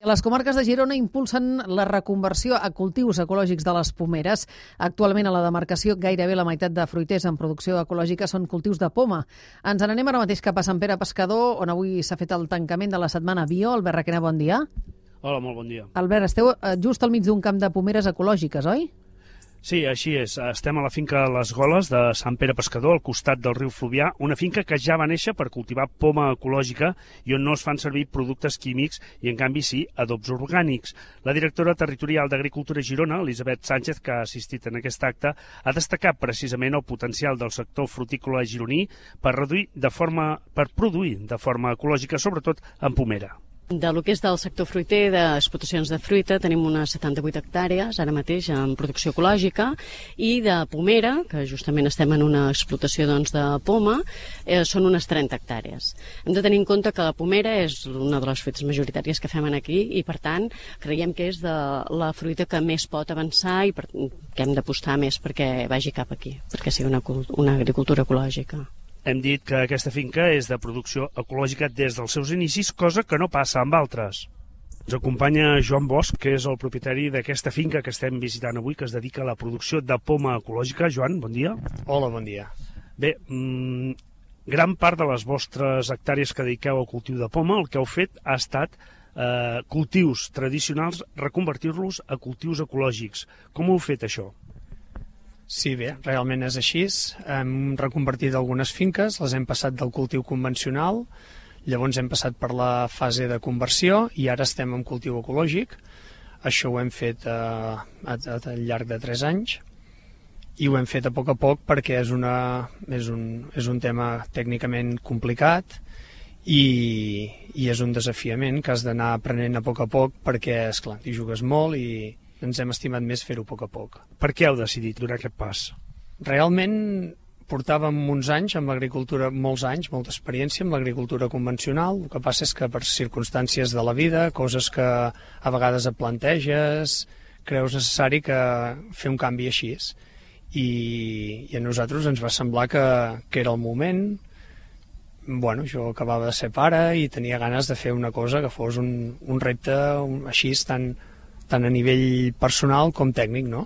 Les comarques de Girona impulsen la reconversió a cultius ecològics de les pomeres. Actualment a la demarcació gairebé la meitat de fruiters en producció ecològica són cultius de poma. Ens n'anem ara mateix cap a Sant Pere Pescador, on avui s'ha fet el tancament de la setmana Bio. Albert Requena, bon dia. Hola, molt bon dia. Albert, esteu just al mig d'un camp de pomeres ecològiques, oi? Sí, així és. Estem a la finca Les Goles de Sant Pere Pescador, al costat del riu Fluvià, una finca que ja va néixer per cultivar poma ecològica i on no es fan servir productes químics i, en canvi, sí, adobs orgànics. La directora territorial d'Agricultura Girona, Elisabet Sánchez, que ha assistit en aquest acte, ha destacat precisament el potencial del sector frutícola gironí per produir de forma ecològica, sobretot en pomera. De lo que és del sector fruiter, d'explotacions de fruita, tenim unes 78 hectàrees ara mateix en producció ecològica, i de pomera, que justament estem en una explotació de poma, són unes 30 hectàrees. Hem de tenir en compte que la pomera és una de les fruites majoritàries que fem aquí i, per tant, creiem que és de la fruita que més pot avançar i que hem d'apostar més perquè vagi cap aquí, perquè sigui una agricultura ecològica. Hem dit que aquesta finca és de producció ecològica des dels seus inicis, cosa que no passa amb altres. Ens acompanya Joan Bosch, que és el propietari d'aquesta finca que estem visitant avui, que es dedica a la producció de poma ecològica. Joan, bon dia. Hola, bon dia. Bé, gran part de les vostres hectàrees que dediqueu al cultiu de poma, el que heu fet ha estat cultius tradicionals, reconvertir-los a cultius ecològics. Com ho heu fet, això? Sí, bé, realment és així. Hem reconvertit algunes finques, les hem passat del cultiu convencional, llavors hem passat per la fase de conversió i ara estem en cultiu ecològic. Això ho hem fet al llarg de 3 anys i ho hem fet a poc perquè és un tema tècnicament complicat i és un desafiament que has d'anar aprenent a poc perquè, esclar, hi jugues molt i ens hem estimat més fer-ho a poc. Per què heu decidit donar aquest pas? Realment portàvem uns anys amb l'agricultura, molts anys, molta experiència amb l'agricultura convencional. El que passa és que per circumstàncies de la vida, coses que a vegades et planteges, creus necessari que fer un canvi així. I a nosaltres ens va semblar que era el moment. Bueno, jo acabava de ser pare i tenia ganes de fer una cosa que fos un repte així tant a nivell personal com tècnic, no?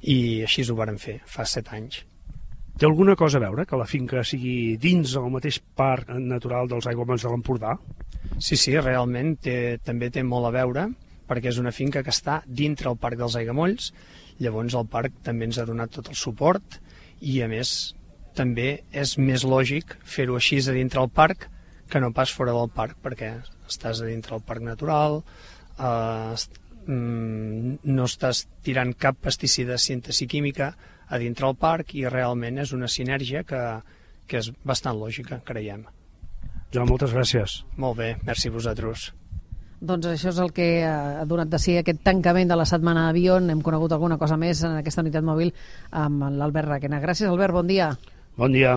I així ho vàrem fer, fa 7 anys. Té alguna cosa a veure que la finca sigui dins el mateix parc natural dels aiguamolls de l'Empordà? Sí, realment també té molt a veure, perquè és una finca que està dintre el parc dels aiguamolls, llavors el parc també ens ha donat tot el suport i, a més, també és més lògic fer-ho així a dintre el parc que no pas fora del parc, perquè estàs a dintre el parc natural, no estàs tirant cap pesticida de síntesi química a dintre el parc i realment és una sinergia que és bastant lògica, creiem. Joan, moltes gràcies. Molt bé, merci a vosaltres. Doncs això és el que ha donat de si aquest tancament de la setmana Bio. Hem conegut alguna cosa més en aquesta unitat mòbil amb l'Albert Requena. Gràcies, Albert, bon dia. Bon dia.